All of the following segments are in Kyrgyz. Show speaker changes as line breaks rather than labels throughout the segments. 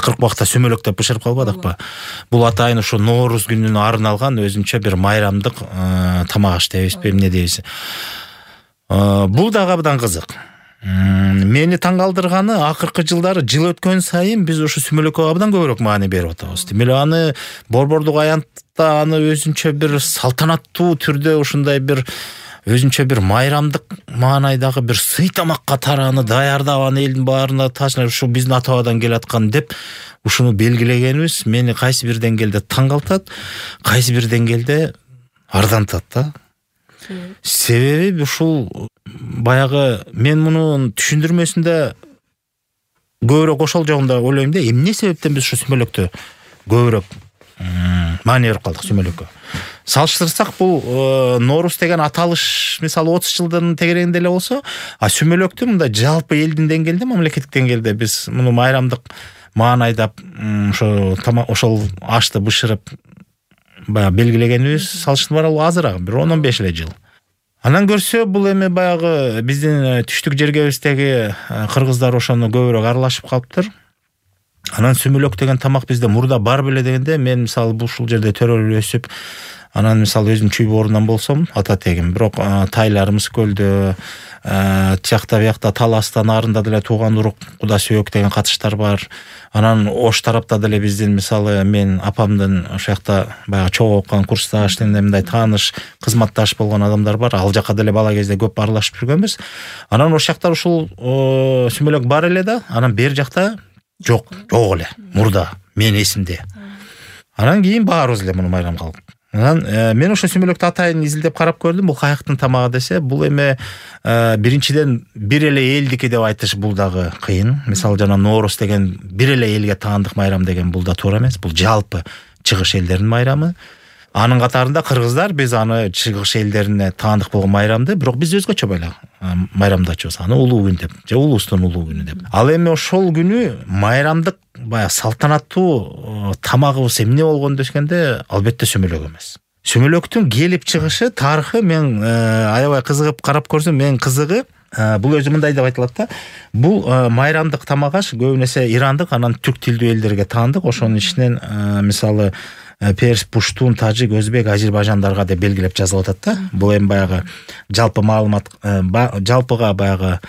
акыркы убакта сүмөлөктөп бышырып калбадыкпы? Бул атайын ушу Нооруз күнүнө арналган өзүнчө бир майрамдык тамак аш дейбизби, эмне дейбиз. Бул дагы абдан кызык. Мени таң калтырганы, акыркы жылдары жыл өткөн сайын биз ушу сүмөлөккө абдан көбүрөөк маани берип атабыз. Демек аны борбордук аянтта аны өзүнчө бир салтанаттуу түрдө ушундай бир өзүнчө бир майрамдык маанайдагы бир сый тамак катары аны даярдап аны элдин баарына таашнап ушу биздин ата бабадан келаткан деп ушуну белгилегенибиз мени кайсы бир деңгээлде таң калтат, кайсы бир деңгээлде ардантат да. Себеби ушул баягы мен мунун түшүндүрмөсүндө көбүрөөк ошол жагында ойлойм да, эмне себептен биз ушу сүмөлөктө көбүрөөк маани берип калдык сүмөлөккө. Салыштырсак, бул Нооруз деген аталыш мисалы 30 жылдын тегерегинде эле болсо, сүмөлөктү мындай жалпы элдин деңгээлде, мамлекеттик деңгээлде биз муну майрамдык маанайдап ошол ашты бышырып баягы белгилегенибиз салыштырмалуу азыраак, бир 10-15 эле жыл. Анан көрсө, бул эми баягы биздин түштүк жергебиздеги кыргыздар ошону көбүрөөк аралашып калыптыр. Анан сүмөлөк деген тамак бизде мурда бар беле дегенде, мен мисалы ушул жерде төрөлүп өсүп, анан мисалы өзүм чүй боорунан болсом, ата тегим, бирок тайларыбыз көлдө, тиякта биякта Таластан нарында деле тууган урук куда сөөк деген катыштар бар. Анан Ош тарапта деле биздин мисалы мен апамдын ошол жакта баягы чогуу окуган курсташ, мындай тааныш, кызматташ болгон адамдар бар. Ал жака деле бала кезде көп аралашып жүргөнбүз. Анан ошол жакта ушул сүмөлөк бар эле да, анан бер жакта жок эле мурда менин эсимде. Анан кийин баарыбыз эле муну майрам кылдык. Анан мен ошо сүмөлөктү атайын изилдеп карап көрдүм. Бул каяктын тамагы десе, бул эми биринчиден бир эле элдики деп айтыш бул дагы кыйын. Мисалы жана Нооруз деген бир эле элге таандык майрам деген бул да туура эмес. Бул жалпы чыгыш элдеринин майрамы. Анын катарында кыргыздар биз аны чыгыш элдерине таандык болгон майрамды, бирок биз өзгөчө майрамдачубуз. Аны улуу күн деп, же улуустун улуу күнү деп. Ал эми ошол күнү майрамдык баягы салтанаттуу тамагыбыз эмне болгон дегенде, албетте сүмөлөк эмес. Сүмөлөктүн келип чыгышы, тарыхы мен аябай кызыгып карап көрсөм, мен кызыгы бул өзү мындай деп айтылат да. Бул майрамдык тамак аш көбүн эсе ирандык, анан түрк тилдүү элдерге таандык. Ошонун ичинен мисалы перс, пуштун, тажик, өзбек, азербайжандарга деп белгилеп жазылып атат да. Бул эми баягы жалпы маалымат, жалпыга баягы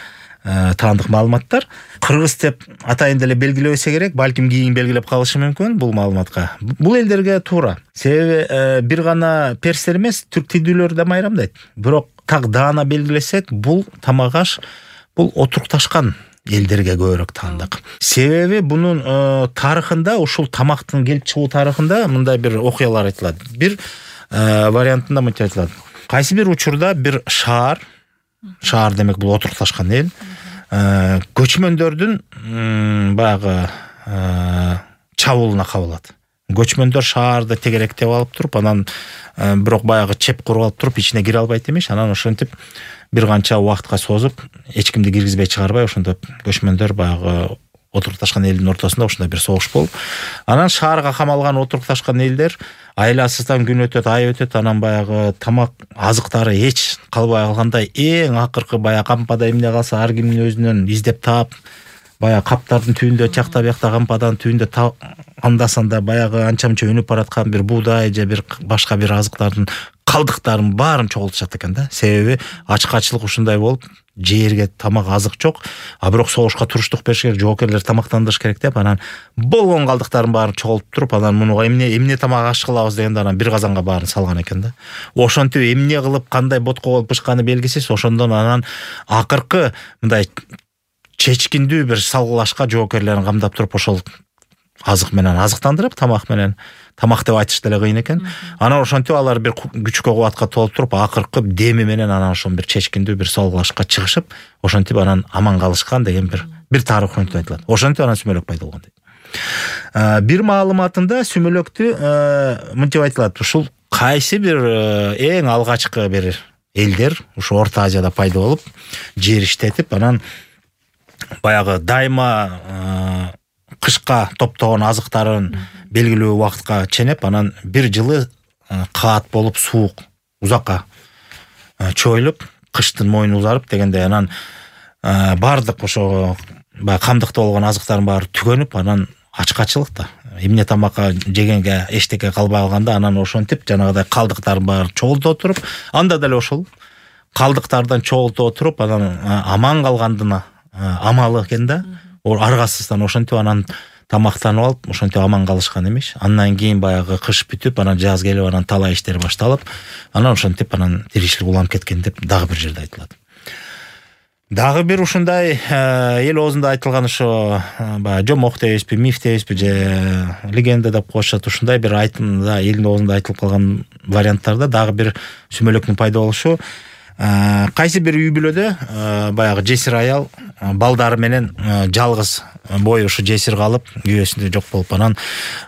таандык маалыматтар. Кыргыз деп атайын деле белгилебесе керек, балким кийин белгилеп калышы мүмкүн бул маалыматка. Бул элдерге туура. Себеби бир гана перстер эмес, түрк тилдүүлөр да майрамдайт. Бирок так даана белгилесек, бул тамак аш бул отурукташкан элдерге көбүрөөк таандык. Себеби бунун тарыхында, ушул тамактын келип чыгуу тарыхында мындай бир окуялар айтылат. Бир вариантында мынча айтылат. Кайсы бир учурда бир шаар демек бул отурукташкан эл, көчмөндөрдүн баягы чабуулуна кабылат. Көчмөндөр шаарды тегеректеп алып туруп, анан бирок баягы чеп куруп алып туруп, ичине кире албайт эмиш. Анан ошентип бир канча убакытка созуп, эч кимди киргизбей чыгарбай, ошондоп көчмөндөр баягы отурукташкан элдин ортосунда ушундай бир согуш болуп, анан шаарга камалган отурукташкан элдер айласыздан күн өтөт, ай өтөт, анан баягы тамак азыктары эч калбай калгандай, эң акыркы баягы кампада эмне калса ар кимдин өзүнөн издеп таап, баягы каптардын түбүндө, чакта биякта кампадан түбүндө андасанда баягы анча-мынча өнүп бараткан бир буудай же бир башка бир азыктардын калдыктарын баарын чогултушат экен да. Себеби ачкачылык ушундай болуп, жерге тамак азык жок, бирок согушка туруштук бериш керек, жоокерлер тамактандырыш керек деп, анан болгон калдыктарын баарын чогултуп туруп, анан мунуга эмне тамак аш кылабыз дегенде, анан бир казанга баарын салган экен да. Ошентип эмне кылып, кандай ботко болуп бышканы белгисиз. Ошондон анан акыркы мындай чечкиндүү бир салгылашка жоокерлерин камдап туруп, ошол азык менен азыктандырып, тамак менен, тамак деп айтыш деле кыйын экен. Анан ошентип алар бир күчкө кубатка толуп туруп, акыркы деми менен анан ошол бир чечкиндүү бир салгылашка чыгышып, ошентип анан аман калышкан деген бир тарых айтылат. Ошентип анан сүмөлөк пайда болгон дейт. Бир маалыматында сүмөлөктү мынтип айтылат, ушул кайсы бир эң алгачкы бир элдер ушу Орто Азияда пайда болуп, жер иштетип, анан баягы дайыма кышка топтогон азыктарын белгилүү убакытка ченеп, анан бир жылы каат болуп, суук узакка чоюлуп, кыштын мойну узарып дегенде, анан бардык ошо баягы камдыкта болгон азыктардын баары түгөнүп, анан ачкачылык да. Эмне тамакка жегенге эчтеке калбай калганда анан ошентип жанагыдай калдыктарын баары чогултуп отуруп, анда деле ошол калдыктардан чогултуп отуруп, анан аман калгандын амалы экен да. Аргасыздан ошентип анан тамактанып алып, ошентип аман калышкан эмеш. Андан кийин баягы кыш бүтүп, анан жаз келип, анан талаа иштер башталып, анан ошентип анан тиричилик уланып кеткен деп дагы бир жерде айтылат. Дагы бир ушундай эл оозунда айтылган ошо баягы жомок дейбизби, миф дейбизби, же легенда деп коюшат, ушундай бир айтымда элдин оозунда айтылып калган варианттарда дагы бир сүмөлөктүн пайда болушу. Кайсы бир үй бүлөдө баягы жесир аял балдары менен жалгыз бою ушу жесир калып, күйөөсүндө жок болуп, анан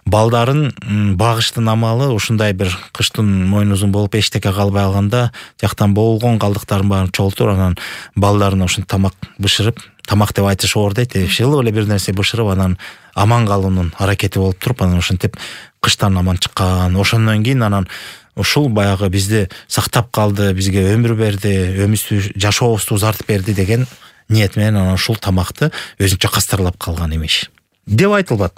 балдарын багыштын амалы ушундай бир кыштын мойну узун болуп эчтеке калбай калганда, жактан болгон калдыктарын баарын чогултуп, анан балдарына ушинтип тамак бышырып, тамак деп айтыш оор дейт, шылып эле бир нерсе бышырып, анан аман калуунун аракети болуп туруп, анан ушинтип кыштан аман чыккан. Ошондон кийин анан ушул баягы бизди сактап калды, бизге өмүр берди, жашообузду узартып берди деген ниет менен анан ушул тамакты өзүнчө кастарлап калган эмеш деп айтылат.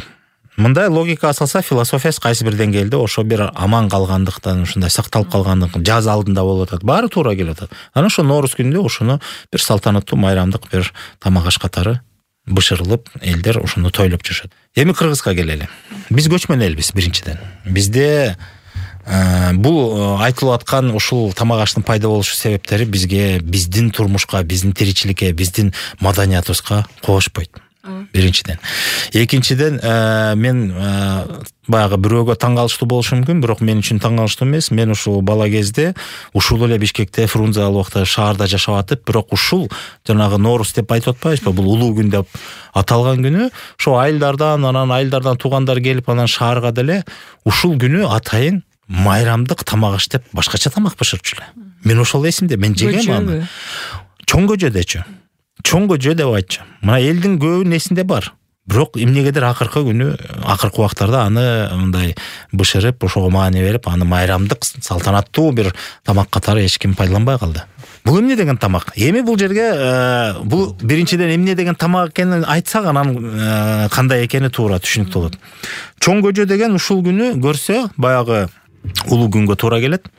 Мындай логикага салса, философиясы кайсы бир деңгээлде ошо бир аман калгандыктан, ушундай сакталып калгандыктан, жаз алдында болуп атат, баары туура келип атат. Анан ошо Норуз күнүндө ошону бир салтанаттуу майрамдык бир тамак аш катары бышырылып, элдер ошону тойлоп жүрүшөт. Эми Кыргызга келели. Биз көчмөн элбиз биринчиден. Бизде бул айтылып аткан ушул тамак аштын пайда болушу себептери бизге, биздин турмушка, биздин тиричиликке, биздин маданиятыбызга кошпойт. Биринчиден. Экинчиден, мен баягы бирөөгө таң калыштуу болушу мүмкүн, бирок мен үчүн таң калыштуу эмес. Мен ушул бала кезде ушул эле Бишкекте, Фрунзе убакта шаарда жашап атып, бирок ушул жанагы Норуз деп айтып атпайбызбы, бул улуу күн деп аталган күнү, ошо айылдардан, анан айылдардан туугандар келип, анан шаарга деле ушул күнү атайын майрамдык тамак аш деп башкача тамак бышырчу эле. Мен ошол эсимде, мен жегем аны. Чоң көжөдөчү. Чоң көжө деп айтчу. Мына элдин көбүнүн эсинде бар. Бирок эмнегедир акыркы күнү, акыркы убактарда аны мындай бышырып, ошого маани берип, аны майрамдык салтанаттуу бир тамак катары эч ким пайдаланбай калды. Бул эмне деген тамак? Эми бул жерге бул биринчиден эмне деген тамак экенин айтсак, анан кандай экени туура түшүнүктүү болот. Чоң көжө деген ушул күнү көрсө, баягы улуу күнгө туура келет.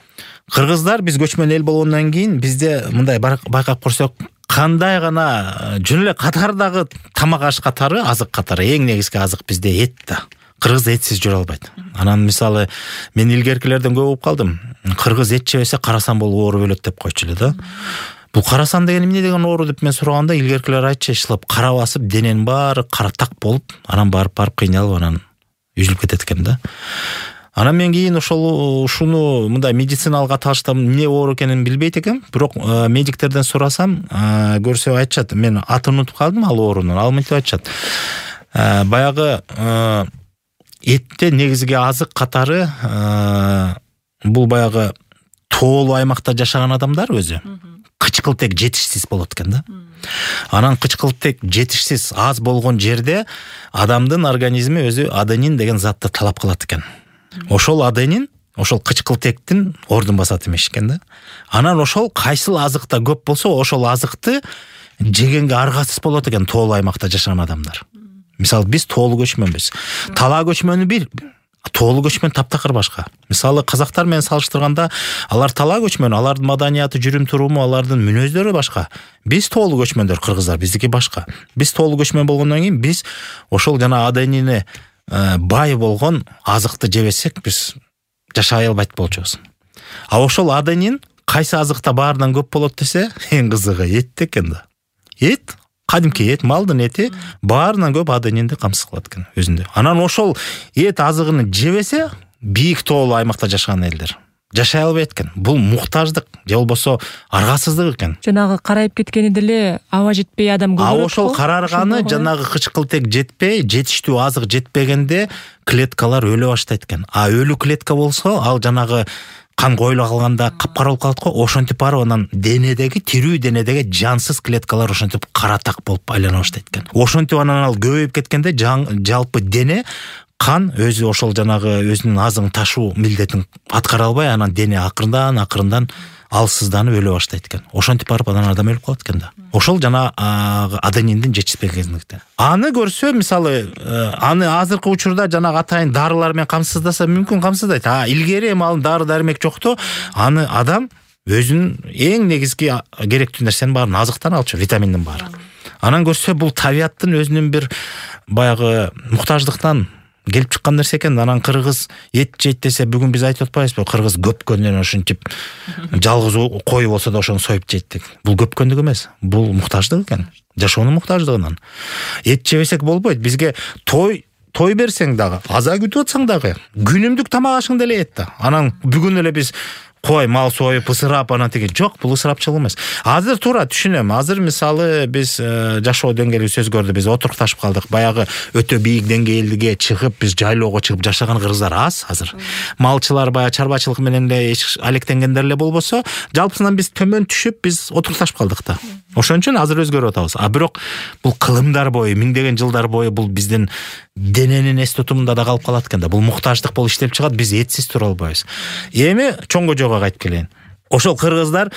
Кыргыздар биз көчмөн эл болгондон кийин бизде мындай байкап көрсөк, кандай гана жөн эле катардагы тамак аш катары, азык катары, эң негизги азык бизде эт да. Кыргыз этсиз жүрө албайт. Анан мисалы мен илгеркилерден көп угуп калдым. Кыргыз эт жебесе карасан болуп ооруп өлөт деп койчу эле да. Бул карасан деген эмне деген оору деп мен сураганда, илгеркилер айтчу, ишылап кара басып, дененин баары кара так болуп, анан барып кыйналып, анан үзүлүп кетет экен да. Анан мен кийин ушуну мындай медициналык аталышта эмне оору экенин билбейт экем, бирок медиктерден сурасам, көрсө айтышат, мен атын унутуп калдым ал оорунун. Ал мынтип айтышат. Баягы этте негизги азык катары бул баягы тоолуу аймакта жашаган адамдар өзү кычкылтек жетишсиз болот экен да. Анан кычкылтек жетишсиз аз болгон жерде адамдын организми өзү аденин деген затты талап кылат экен. Ошол аденин, ошол кычкылтектин ордун басат эмеш экен да. Анан ошол кайсыл азыкта көп болсо, ошол азыкты жегенге аргасыз болот экен тоолуу аймакта жашаган адамдар. Мисалы биз тоолуу көчмөнбүз. Талаа көчмөнү бир, тоолуу көчмөн таптакыр башка. Мисалы казактар менен салыштырганда, алар талаа көчмөн, алардын маданияты, жүрүм туруму, алардын мүнөздөрү башка. Биз тоолуу көчмөндөр, кыргыздар, биздики башка. Биз тоолуу көчмөн болгондон кийин биз ошол жана аденини бай болгон азыкты жебесек, биз жашай албайт болчубуз. А ошол аденин кайсы азыкта баарынан көп болот десе, эң кызыгы эт экен да. Эт, кадимки эт, малдын эти баарынан көп аденинди камсыз кылат экен өзүндө. Анан ошол эт азыгын жебесе, бийик тоолуу аймакта жашаган элдер жашай албайт экен. Бул муктаждык же болбосо аргасыздык экен.
Жанагы карайып кеткени деле аба жетпей адам көп.
Ошол карарганы жанагы кычкылтек жетпей, жетиштүү азык жетпегенде клеткалар өлө баштайт экен. А өлүү клетка болсо, ал жанагы кан коюла калганда капкара болуп калат го, ошентип барып анан денедеги, тирүү денедеги жансыз клеткалар ошентип кара так болуп айлана баштайт экен. Ошентип анан ал көбөйүп кеткенде жалпы дене кан өзү ошол жанагы өзүнүн азыгын ташуу милдетин аткара албай, анан дене акырындан алсызданып өлө баштайт экен. Ошентип барып анан адам өлүп калат экен да. Ошол жана адениндин жетишпегендиктен. Аны көрсө, мисалы, аны азыркы учурда жанагы атайын дарылар менен камсыздаса мүмкүн камсыздайт. Илгери эми ал дары дармек жокто, аны адам өзүнүн эң негизги керектүү нерсенин баарын азыктан алчу, витаминдин баары. Анан көрсө бул табияттын өзүнүн бир баягы муктаждыктан келип чыккан нерсе экен. Анан кыргыз эт жейт десе, бүгүн биз айтып атпайбызбы, кыргыз көпкөндөн ошентип жалгыз кой болсо да ошону союп жейт деп. Бул көпкөндүк эмес, бул муктаждык экен, жашоонун муктаждыгынан. Эт жебесек болбойт. Бизге той берсең дагы, аза күтүп атсаң дагы, күнүмдүк тамак ашың деле эт да. Анан бүгүн эле биз кой мал союп ысырап анан тиги жок, бул ысырапчылык эмес. Азыр туура түшүнөм. Азыр мисалы биз жашоо деңгээлибиз өзгөрдү, биз отурукташып калдык. Баягы өтө бийик деңгээлге чыгып, биз жайлоого чыгып жашаган кыргыздар аз азыр. Малчылар баягы чарбачылык менен эле алектенгендер эле болбосо, жалпысынан биз төмөн түшүп, биз отурукташып калдык да. Ошон үчүн азыр өзгөрүп атабыз. Бирок бул кылымдар бою, миңдеген жылдар бою бул биздин дененин эс тутумунда да калып калат экен да. Бул муктаждык болуп иштелип чыгат, биз этсиз тура албайбыз. Эми чоң кожого кайтып келейин. Ошол кыргыздар,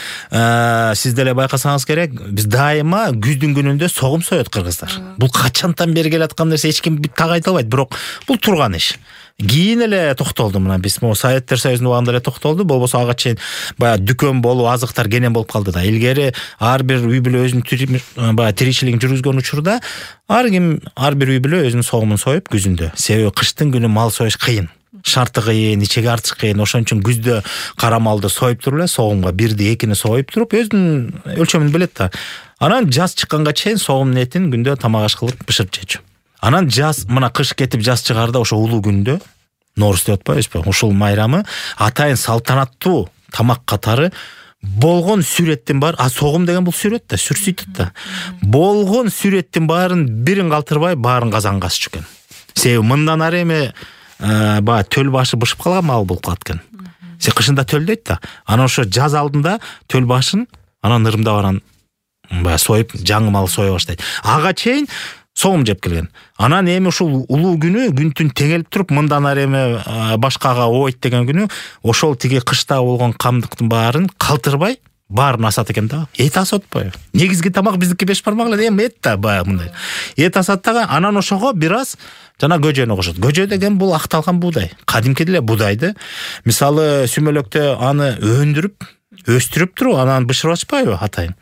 сиз деле байкасаңыз керек, биз дайыма күздүн күнүндө согум соет кыргыздар. Бул качантан бери келаткан нерсе, эч ким так айта албайт, бирок бул турган иш. Кийин эле токтолду, мына биз Советтер Союзунун убагында эле токтолду, болбосо ага чейин баягы дүкөн болуп, азыктар кенен болуп калды да. Илгери ар бир үй бүлө өзүнүн баягы тиричилигин жүргүзгөн учурда ар бир үй бүлө өзүнүн согумун союп күзүндө. Себеби кыштын күнү мал союш кыйын. Шарты кыйын, ичеге артыш кыйын. Ошон үчүн күздө кара малды союп туруп эле, согумга бирди, экини союп туруп, өзүнүн өлчөмүн билет да. Анан жаз чыкканга чейин согумдун этин күндө тамак аш кылып бышырып жечү. Анан жаз, мына кыш кетип жаз чыгарда, ошо улуу күндө, Норуз деп атпайбызбы, ушул майрамы атайын салтанаттуу тамак катары болгон сүрөттүн баары, согум деген бул сүрөт да, сүрсүйтөт да. Болгон сүрөттүн баарын бирин калтырбай, баарын казанга асчу экен. Себеби мындан ары эми баягы төл башы бышып калган мал болуп калат экен. Кышында төлдөйт да. Анан ошо жаз алдында төл башын анан ырымдап анан баягы союп, жаңы мал сое баштайт. Ага чейин согум жеп келген. Анан эми ушул улуу күнү, күн түн теңелип туруп, мындан ары эми башкага ойт деген күнү, ошол тиги кышта болгон камдыктын баарын калтырбай, баарын асат экен да. Эт асат атпайбы? Негизги тамак биздики 5 бармак эле, эми эт да баягы мындай. Эт асат дагы, анан ошого бир аз жана көжөнү кошот. Көжө деген бул акталган буудай. Кадимки деле буудайды, мисалы сүмөлөктө аны өндүрүп, өстүрүп туруп, анан бышырып ачпайбы атайын.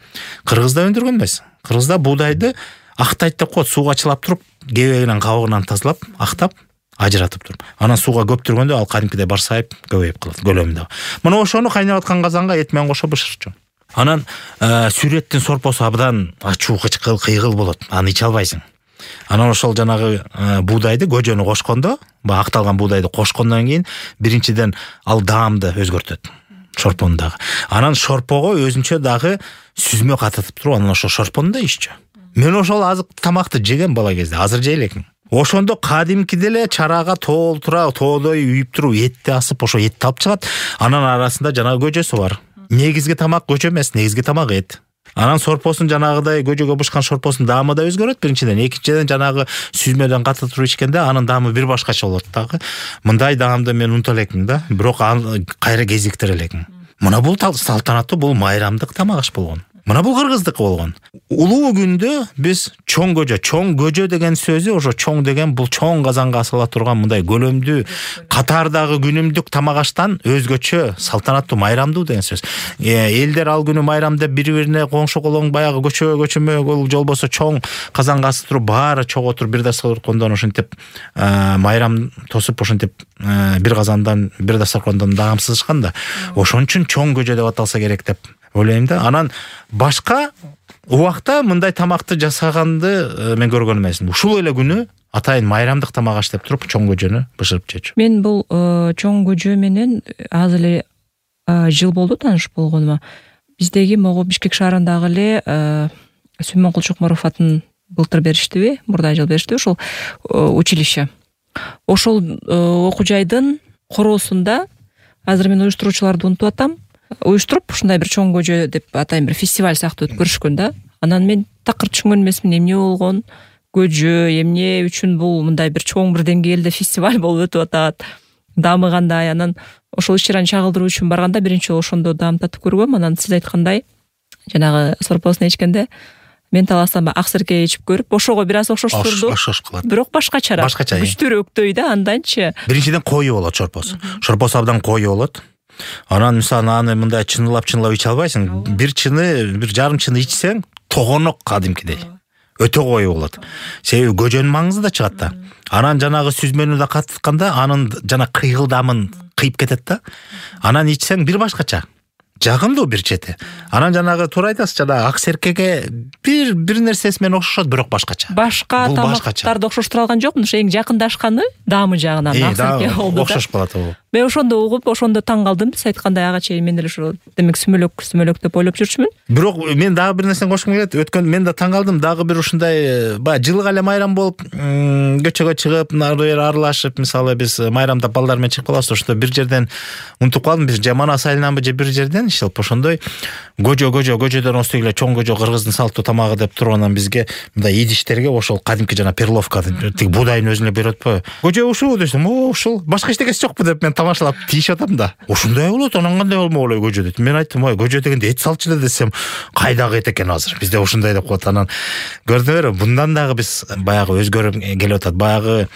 Кыргызда өндүргөн эмес. Кыргызда буудайды актайт деп коет, сууга чылап туруп, кебегинен кабыгынан тазалап, актап, ажыратып туруп. Анан сууга көптүргөндө ал кадимкидей барсайып, көбөйүп калат, көлөмүндө. Мына ошону кайнап аткан казанга эт менен кошо бышырчу. Анан сүрөттүн сорпосу абдан ачуу, кычкыл, кыйгыл болот. Аны иче албайсың. Анан ошол жанагы буудайды, көжөнү кошкондо, баягы акталган буудайды кошкондон кийин биринчиден ал даамды өзгөртөт. Шорпону дагы. Анан шорпого өзүнчө дагы сүзмө катытып туруп, анан ошо шорпону да иччү. Мен ошол азык тамакты жеген бала кезде, азыр жей элекмин. Ошондо кадимкиде эле чарага толтура, тоодой үйүп туруп, этти асып, ошо этти алып чыгат. Анан арасында жанагы көжөсү бар. Негизги тамак көжө эмес, негизги тамак эт. Анан сорпосун жанагыдай көжөгө бышкан шорпосунун даамы да өзгөрөт биринчиден, экинчиден жанагы сүзмөдөн катып туруп ичкенде анын даамы бир башкача болот дагы. Мындай даамды мен унута элекмин да, бирок аны кайра кезиктире элекмин. Мына бул салтанаттуу, бул майрамдык тамак аш болгон. Мына бул кыргыздык болгон. Улуу күндө биз чоң көжө деген сөзү, ошо чоң деген бул чоң казанга асыла турган мындай көлөмдүү катардагы күнүмдүк тамак аштан өзгөчө салтанаттуу, майрамдуу деген сөз. Элдер ал күнү майрам деп бири-бирине коңшу колоң баягы көчөмө жолбосо чоң казанга асып туруп, баары чогуу туруп бир дастаркондон ошентип майрам тосуп, ошентип бир казандан, бир дастаркондон даамсызышкан да. Ошон үчүн чоң көжө деп аталса керек деп ойлойм да. Анан башка убакта мындай тамакты жасаганды мен көргөн эмесмин. Ушул эле күнү атайын майрамдык тамак аш деп туруп чоң көжөнү бышырып жечү.
Мен бул чоң көжө менен азыр эле жыл болду тааныш болгонума. Биздеги могу Бишкек шаарындагы эле Сүймөнкул Чокморов атын былтыр бериштиби, мурда жыл беришти, ошол училище. Ошол окуу жайдын короосунда азыр мен уюштуруучуларды унутуп атам. Уюштуруп ушундай бир чоң көжө деп атайын бир фестиваль сыяктуу өткөрүшкөн да. Анан мен такыр түшүнгөн эмесмин, эмне болгон, көжө эмне үчүн бул мындай бир чоң бир деңгээлде фестиваль болуп өтүп атат, дамыгандай, анан ошол иш-чараны чагылдыруу үчүн барганда биринчи жолу ошондо дамтатып көргөм. Анан сиз айткандай жанагы сорпосун ичкенде мен таласам ак серке ичип көрүп, ошого бир аз окшоштурду.
Окшош кылат.
Бирок башкачараак.
Башкача.
Күчтүүрөөктөй да анданчы.
Биринчиден кою болот шорпос. Шорпос абдан кою болот. Анан мисалы аны мындай чыныйлап иче албайсың. Бир жарым чыны ичсең, тогонок кадимкидей. Өтө кою болот. Себеби көжөнүн маңызы да чыгат да. Анан жанагы сүзмөнү да каттытканда анын жана кыйгылдамын кыйып кетет да. Анан ичсең бир башкача. Жагымдуу бир чети. Анан жанагы туура айтасыз, жанагы ак серкеге бир нерсеси менен окшошот, бирок башкача.
Башка тамактарды окшоштура алган жокмун. Ошо эң жакындашканы даамы жагынан ак серке болду да.
Окшош калат ал.
Мен ошондо угуп, ошондо таң калдым. Сиз айткандай ага чейин мен деле ошо демек сүмөлөк деп ойлоп жүрчүмүн.
Бирок мен дагы бир нерсени кошкум келет. Өткөн мен да таң калдым, дагы бир ушундай баягы жылга эле майрам болуп, көчөгө чыгып, ары бери аралашып, мисалы биз майрамда балдар менен чыгып калабыз, ошондо бир жерден унутуп калдым, биз же Манас айылынанбы же бир жерден ишелип ошондой көжөдөн остуй эле чоң көжө кыргыздын салттуу тамагы деп тургандан бизге мындай идиштерге ошол кадимки жана перловка тиги буудайдын өзүн эле берип атпайбы. Көжө ушул десем, ушул башка эчтекеси жокпу деп мен тамашалап тийишип атам да. Ушундай болот, анан кандай болмок эле көжө дейт. Мен айттым, көжө дегенде эт салчу эле десем, кайдагы эт экен азыр. Бизде ушундай деп коет. Анан көрдүңөрбү, мындан дагы биз баягы өзгөрүп келип атат. Баягы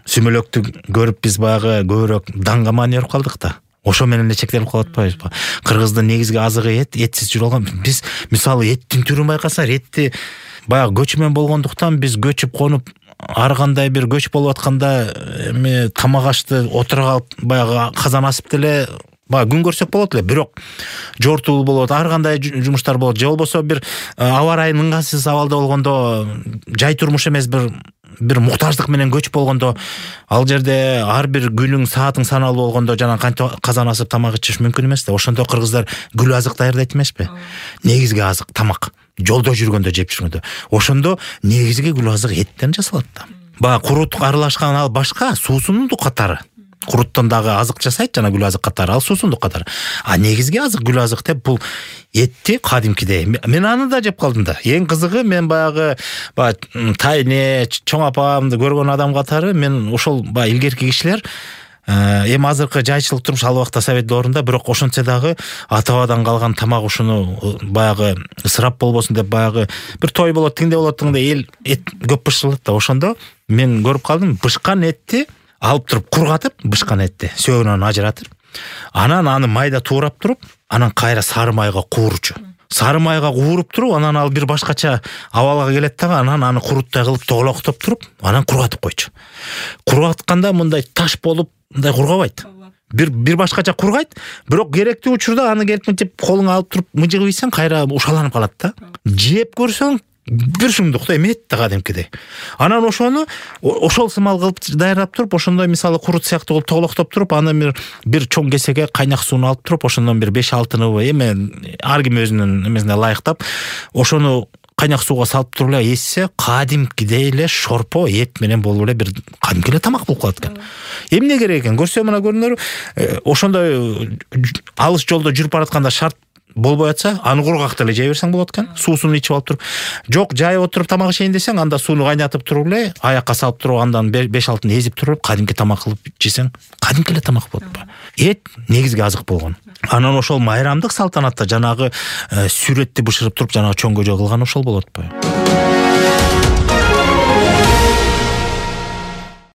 сүмөлөктү көрүп биз баягы көбүрөөк данга маани өөрүп калдык да. Ошо менен эле чектелип калып атпайбызбы? Кыргыздын негизги азыгы этсиз жүрө алган. Биз мисалы эттин түрүн байкасаңар, этти баягы көчмөн болгондуктан биз көчүп конуп ар кандай бир көч болуп атканда эми тамак ашты отура калып баягы казан асып деле баягы күн көрсөк болот эле. Бирок жортуу болот, ар кандай жумуштар болот. Же болбосо бир аба ырайы ыңгайсыз абалда болгондо, жай турмуш эмес бир муктаждык менен көчүп болгондо, ал жерде ар бир күнүң саатың саналуу болгондо жана кантип казан асып тамак ичиш мүмкүн эмес да. Ошондо кыргыздар гүл азык даярдайт эмеспи? Негизги азык тамак. Жолдо жүргөндө жеп жүргөндө. Ошондо негизги гүл азык эттен жасалат да. Баягы курут аралашкан ал башка, суусундук катары. Куруттан дагы азык жасайт жана гүл азык катары, ал суусундук катары. А негизги азык гүл азык деп бул этти кадимкидей. Мен аны да жеп калдым да. Эң кызыгы мен баягы тайне, чоң апамды көргөн адам катары мен ошол баягы илгерки кишилер эми азыркы жайчылык турмуш ал убакта совет доорунда, бирок ошентсе дагы ата-бабадан калган тамак ушуну баягы ысырап болбосун деп баягы бир той болот, тигиндей болот, тигиндей эл эт көп бышырылат да. Ошондо мен көрүп калдым, бышкан этти алып туруп кургатып, бышкан этти сөөгүнөн ажыратып, анан аны майда туурап туруп, анан кайра сары майга куурчу. Сары майга кууруп туруп, анан ал бир башкача абалга келет дагы, анан аны куруттай кылып тоголоктоп туруп, анан кургатып койчу. Кургатканда мындай таш болуп мындай кургабайт. Бир башкача кургайт, бирок керектүү учурда аны келип мынтип колуңа алып туруп мыжыгып ийсең кайра ушаланып калат да. Жеп көрсөң бир шумдук да, эми эт да кадимкидей. Анан ошону ошол сымал кылып даярдап туруп, ошондой мисалы курут сыяктуу кылып тоголоктоп туруп, аны бир чоң кесеге кайнак сууну алып туруп, ошондон бир 5-6 эми ар ким өзүнүн эмесине ылайыктап, ошону кайнак сууга салып туруп эле эссе, кадимкидей эле шорпо эт менен болуп эле бир кадимки эле тамак болуп калат экен. Эмне керек экен? Көрсө мына көрүнөр, ошондой алыс жолдо жүрүп баратканда шарт болбой атса, аны кургак деле жей берсең болот экен. Суусун ичип алып туруп. Жок, жайып отуруп тамак ишейин десең, анда сууну кайнатып туруп эле, аякка салып туруп, андан 5-6 эзип туруп, кадимки тамак кылып жесең, кадимки эле тамак болот. Эт негизги азык болгон. Анан ошол майрамдык салтанатта жанагы сүрөттү бышырып туруп, жанагы чоң көжө кылган ошол болот.